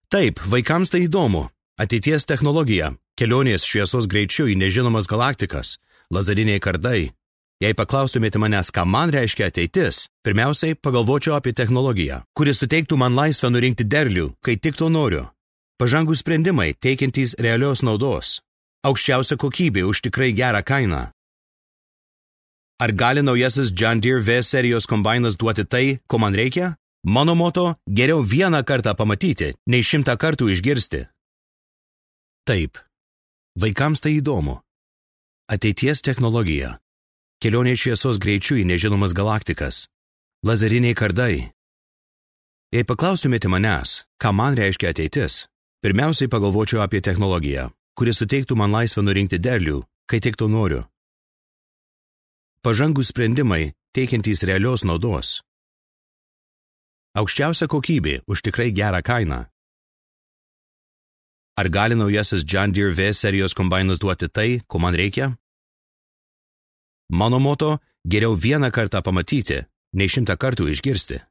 Taip, vaikams tai įdomu. Ateities technologija, kelionės šviesos greičiu į nežinomas galaktikas, lazeriniai kardai. Jei paklaustumėte manęs, ką man reiškia ateitis, pirmiausiai pagalvočiau apie technologiją, kuri suteiktų man laisvę nurinkti derlių, kai tik to noriu. Pažangūs sprendimai, teikiantys realios naudos. Aukščiausia kokybė už tikrai gerą kainą. Ar gali naujasis John Deere V serijos kombainas duoti tai, ko man reikia? Mano moto – geriau vieną kartą pamatyti, nei 100 kartų išgirsti. Taip, vaikams tai įdomu. Ateities technologija. Kelionė šviesos greičiu į nežinomas galaktikas. Lazeriniai kardai. Jei paklaustumėte manęs, ką man reiškia ateitis, pirmiausiai pagalvočiau apie technologiją, kuri suteiktų man laisvę nurinkti derlių, kai tik to noriu. Pažangūs sprendimai, teikiantys realios naudos. Aukščiausia kokybė už tikrai gerą kainą. Ar gali naujasis John Deere V serijos kombainas duoti tai, ko man reikia? Mano moto – geriau vieną kartą pamatyti, nei 100 kartų išgirsti.